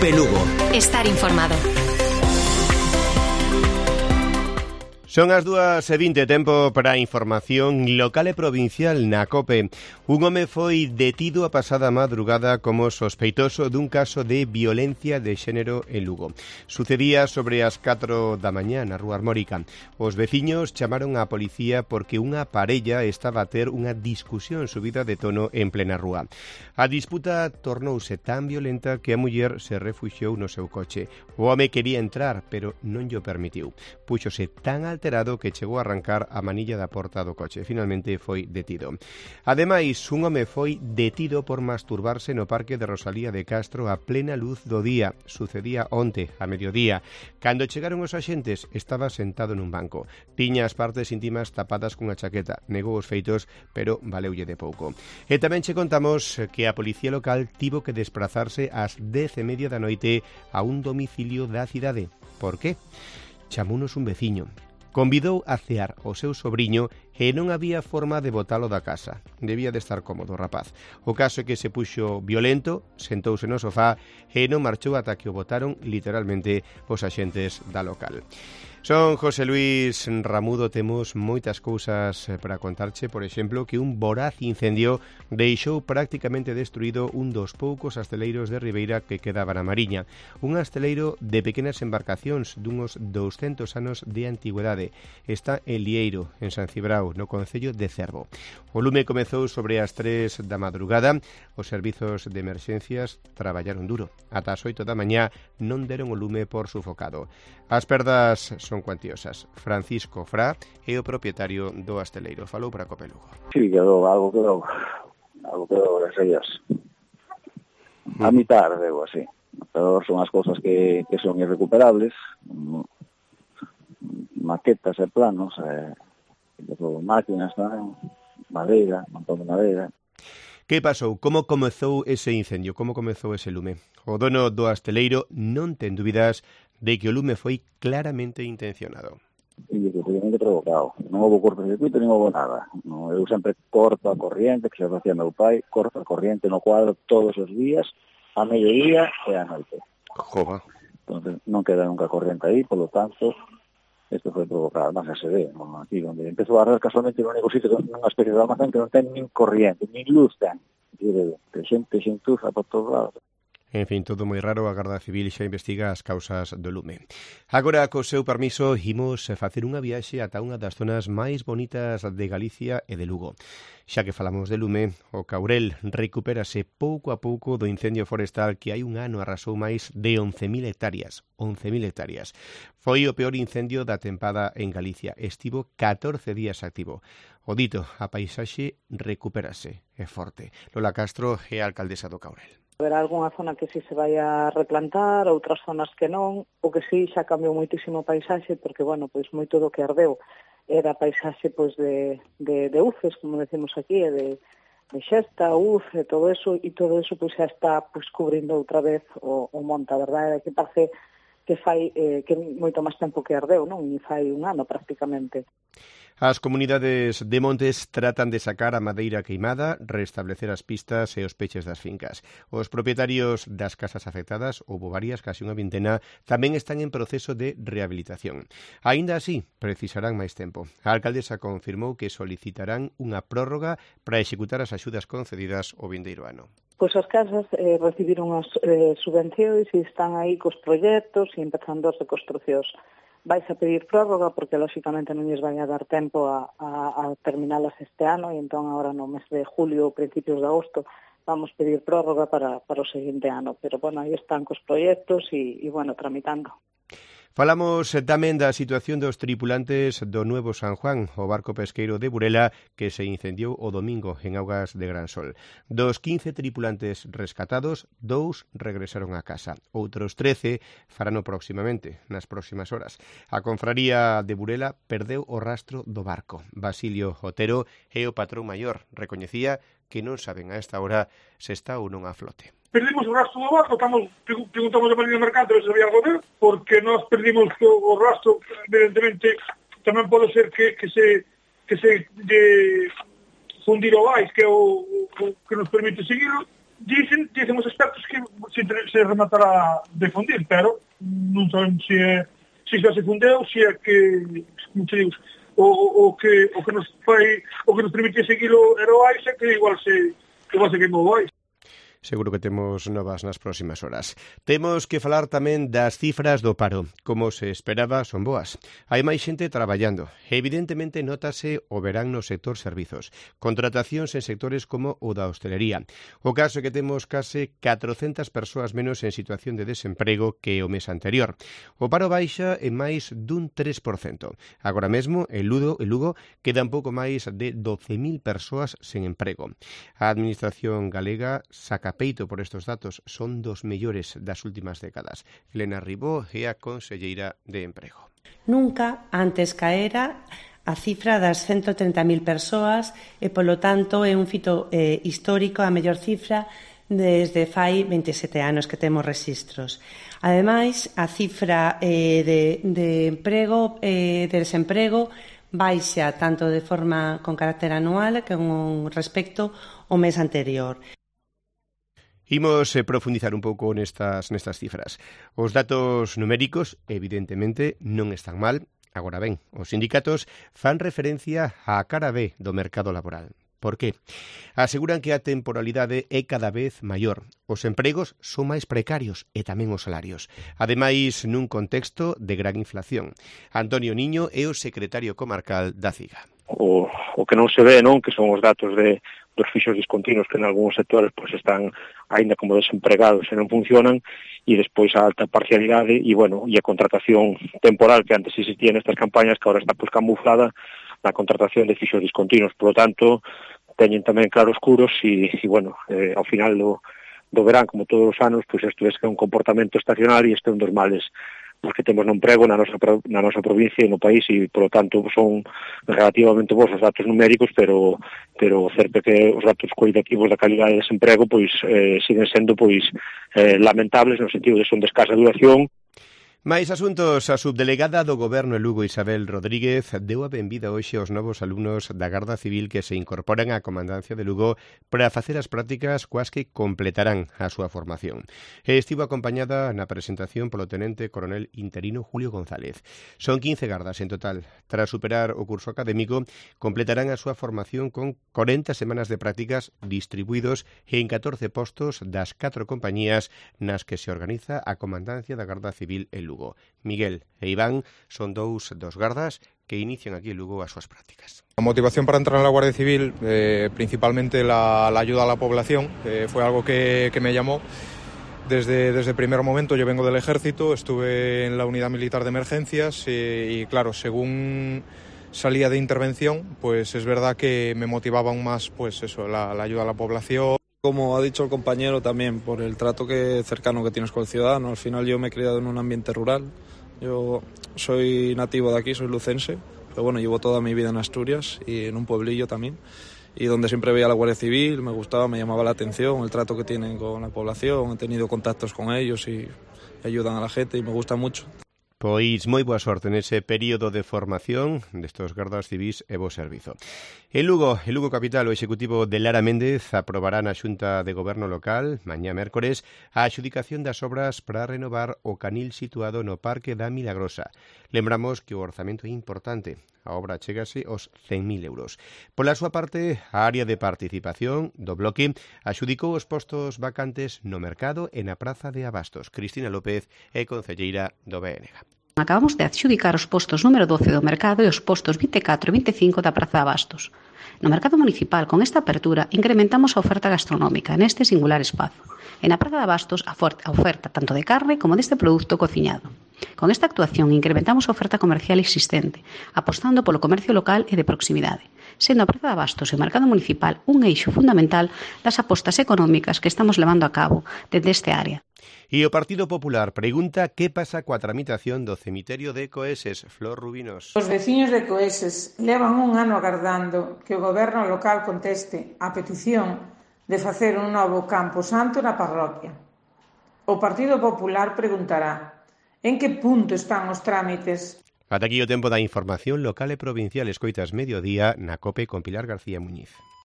COPE Lugo. Estar informado. Son as 2:20, tempo para a información local e provincial na COPE. Un home foi detido a pasada madrugada como sospeitoso dun caso de violencia de xénero en Lugo. Sucedía sobre as 4 da mañá na Rúa Armórica. Os veciños chamaron á policía porque unha parella estaba a ter unha discusión subida de tono en plena rúa. A disputa tornouse tan violenta que a muller se refuxiou no seu coche. O home quería entrar, pero non llo permitiu. Púxose tan alterado que chegou a arrancar a manilla da porta do coche. Finalmente foi detido. Ademais, un home foi detido por masturbarse no parque de Rosalía de Castro a plena luz do día. Sucedía onte, a mediodía. Cando chegaron os axentes, estaba sentado nun banco. Tiña as partes íntimas tapadas cunha chaqueta. Negou os feitos, pero valeulle de pouco. E tamén che contamos que a policía local tivo que desplazarse ás 10:30 da noite a un domicilio da cidade. Por qué? Chamounos un veciño. Convidou a cear o seu sobriño e non había forma de botalo da casa. Debía de estar cómodo o rapaz. O caso é que se puxo violento, sentouse no sofá e non marchou ata que o botaron literalmente os axentes da local. Son José Luis Ramudo, temos moitas cousas para contarche, por exemplo, que un voraz incendio deixou prácticamente destruído un dos poucos asteleiros de Ribeira que quedaban na Mariña. Un asteleiro de pequenas embarcacións dunos 200 anos de antigüedade. Está en Lieiro, en San Cibrao, no concello de Cervo. O lume comezou sobre as 3 da madrugada. Os servizos de emerxencias traballaron duro. Ata as 8 da mañá non deron o lume por sufocado. As perdas son cuantiosas. Francisco Fra é o propietario do asteleiro. Falou para COPE Lugo. Sí, algo quedou, gracias a Dios. A mitad, algo así. Pero son as cousas que son irrecuperables, maquetas e planos, máquinas tamén, madeira, montón de madeira. Que pasou? Como comezou ese incendio? Como comezou ese lume? O dono do asteleiro non ten dúbidas de que o lume foi claramente intencionado. E efectivamente provocado. Non houve cortocircuito, nin houve nada. Eu sempre corto a corriente, que se facía meu pai, corto a corriente no cuadro todos os días, a mediodía e a noite. Jova. Entonces, non queda nunca corriente aí, polo tanto, isto foi provocado. Además, se ve, aquí onde empezou a arder casualmente no único sitio, nunha especie de almacén que non ten nin corriente, nin luz ten. Que xente xentuza por todos lados. En fin, todo moi raro, a Garda Civil xa investiga as causas do lume. Agora, co seu permiso, imos facer unha viaxe ata unha das zonas máis bonitas de Galicia e de Lugo. Xa que falamos de lume, o Caurel recupérase pouco a pouco do incendio forestal que hai un ano arrasou máis de 11.000 hectáreas. 11.000 hectáreas. Foi o peor incendio da tempada en Galicia. Estivo 14 días activo. O dito, a paisaxe recupérase. É forte. Lola Castro é a alcaldesa do Caurel. Haberá algunha zona que sí se vai a replantar, outras zonas que non, o que sí xa cambiou moitísimo o paisaxe, porque, bueno, pois moito do que ardeu era paisaxe pois de uces, como decimos aquí, de xesta, uce, todo eso pois xa está pois cubrindo outra vez o monte. A verdade é que parece que fai que moito máis tempo que ardeu, non? E fai un ano prácticamente. As comunidades de montes tratan de sacar a madeira queimada, restablecer as pistas e os peches das fincas. Os propietarios das casas afectadas, houbo varias, casi unha vintena, tamén están en proceso de rehabilitación. Aínda así, precisarán máis tempo. A alcaldesa confirmou que solicitarán unha prórroga para executar as axudas concedidas o vindeiro ano. Pois as casas recibiron as subvencións e están aí cos proxectos e empezando as reconstruccións. Vais a pedir prórroga porque, lóxicamente, non lles vai a dar tempo a terminalas este ano e entón agora no mes de julio ou principios de agosto vamos pedir prórroga para o seguinte ano. Pero, bueno, aí están cos proxectos e bueno, tramitando. Falamos tamén da situación dos tripulantes do Nuevo San Juan, o barco pesqueiro de Burela que se incendiou o domingo en augas de Gran Sol. Dos 15 tripulantes rescatados, 2 regresaron a casa. Outros 13 farano próximamente, nas próximas horas. A confraría de Burela perdeu o rastro do barco. Basilio Otero é o patrón maior. Recoñecía que non saben a esta hora se está ou non a flote. Perdimos o rastro do barco, preguntamos a Marina Mercante se había algo ver, porque nós perdimos o rastro, evidentemente, tamén pode ser que se fundir o vais, que é o que nos permite seguirlo, dicen os expertos que se rematará de fundir, pero non saben se xa se fundeu, se é que, como te digo, o que nos permite seguilo era o AISA, que igual se queimou o AISA. Seguro que temos novas nas próximas horas. Temos que falar tamén das cifras do paro. Como se esperaba, son boas. Hai máis xente traballando. Evidentemente, notase o verán no sector servizos. Contratacións en sectores como o da hostelería. O caso é que temos case 400 persoas menos en situación de desemprego que o mes anterior. O paro baixa en máis dun 3%. Agora mesmo, en Lugo quedan pouco máis de 12.000 persoas sen emprego. A Administración galega saca peito por estes datos, son dos mellores das últimas décadas. Elena Ribó é a conselleira de Emprego. Nunca antes caera a cifra das 130.000 persoas e, polo tanto, é un fito histórico, a mellor cifra desde fai 27 anos que temos registros. Ademais, a cifra de emprego, de desemprego, baixa tanto de forma con carácter anual que con respecto ao mes anterior. Imos profundizar un pouco nestas cifras. Os datos numéricos, evidentemente, non están mal. Agora ben, os sindicatos fan referencia á cara B do mercado laboral. Por qué? Aseguran que a temporalidade é cada vez maior. Os empregos son máis precarios e tamén os salarios. Ademais, nun contexto de gran inflación. Antonio Niño é o secretario comarcal da CIGA. O que non se ve, non, que son os datos dos fixos discontinuos que en algúns sectores pues están aínda como desempregados e non funcionan, e despois a alta parcialidade e a contratación temporal que antes existía nestas campañas, que agora está pues camuflada na contratación de fixos discontinuos. Por lo tanto, teñen tamén claroscuros e ao final do verán, como todos os anos, pues isto é un comportamento estacional e este é un dos males porque temos no emprego na nosa provincia e no país, e, por lo tanto, son relativamente bons os datos numéricos, pero certo que os datos cualitativos da calidade de desemprego siguen sendo lamentables no sentido de son de escasa duración. Mais asuntos, a subdelegada do Goberno en Lugo, Isabel Rodríguez, deu a benvida hoxe aos novos alumnos da Garda Civil que se incorporan á Comandancia de Lugo para facer as prácticas coas que completarán a súa formación. Estivo acompañada na presentación polo tenente coronel interino Julio González. Son 15 gardas en total. Tras superar o curso académico, completarán a súa formación con 40 semanas de prácticas distribuídos en 14 postos das 4 compañías nas que se organiza a Comandancia da Garda Civil en Lugo. Miguel e Iván son dos gardas que inician aquí en Lugo as súas prácticas. La motivación para entrar en la Guardia Civil, principalmente la ayuda a la población, fue algo que me llamó. Desde el primer momento yo vengo del ejército, estuve en la unidad militar de emergencias y claro, según salía de intervención, pues es verdad que me motivaba aún más la ayuda a la población. Como ha dicho el compañero también, por el trato cercano que tienes con el ciudadano. Al final yo me he criado en un ambiente rural. Yo soy nativo de aquí, soy lucense, pero bueno, llevo toda mi vida en Asturias y en un pueblillo también. Y donde siempre veía a la Guardia Civil, me gustaba, me llamaba la atención el trato que tienen con la población. He tenido contactos con ellos y ayudan a la gente y me gusta mucho. Pois moi boa sorte nese período de formación destos gardas civís e bo servizo. En Lugo capital, o Executivo de Lara Méndez aprobará na Xunta de Goberno local, mañá mércores, a adxudicación das obras para renovar o canil situado no Parque da Milagrosa. Lembramos que o orzamento é importante. A obra chegase aos 100.000 euros. Pola súa parte, a área de participación do bloque adxudicou os postos vacantes no mercado e na Praza de Abastos. Cristina López é concelleira do BNG. Acabamos de adxudicar os postos número 12 do mercado e os postos 24 e 25 da Praza de Abastos. No mercado municipal, con esta apertura, incrementamos a oferta gastronómica neste singular espazo. E na Praza de Abastos, a oferta tanto de carne como deste produto cociñado. Con esta actuación incrementamos a oferta comercial existente, apostando polo comercio local e de proximidade, sendo a Praza de Abastos e o mercado municipal un eixo fundamental das apostas económicas que estamos levando a cabo desde este área. E o Partido Popular pregunta que pasa coa tramitación do cemiterio de Coeses. Flor Rubinos. Os veciños de Coeses levan un ano agardando que o goberno local conteste a petición de facer un novo campo santo na parroquia. O Partido Popular preguntará: en que punto están os trámites? Ata aquí o tempo da información local e provincial. Escoitas Mediodía na COPE con Pilar García Muñiz.